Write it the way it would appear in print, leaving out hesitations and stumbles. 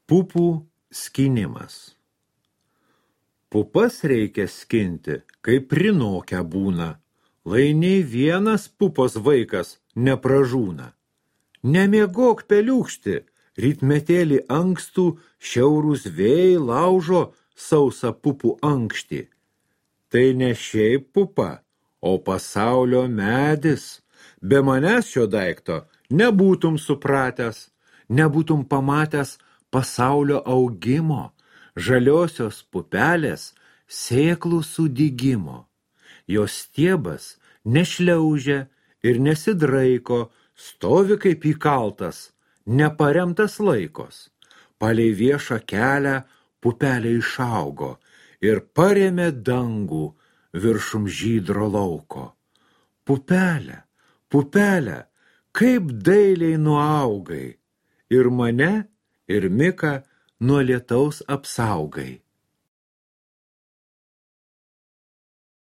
Pupų skinimas. Pupas reikia skinti, kai prinokę būna, lai nei vienas pupos vaikas nepražūna. Nemiegok peliūkšti, rytmetėlį ankstų šiaurūs vėjai laužo sausą pupų ankštį. Tai ne šiaip pupa, o pasaulio medis. Be manęs šio daikto nebūtum supratęs, nebūtum pamatęs pasaulio augimo, žaliosios pupelės sėklų sudygimo. Jos stiebas nešliaužia ir nesidraiko, stovi kaip įkaltas, neparemtas laikos. Palei viešą kelią pupelė išaugo ir parėmė dangų viršum žydro lauko. Pupelė, pupelė, kaip dailiai nuaugai, ir mane, ir Miką nuo lietaus apsaugai.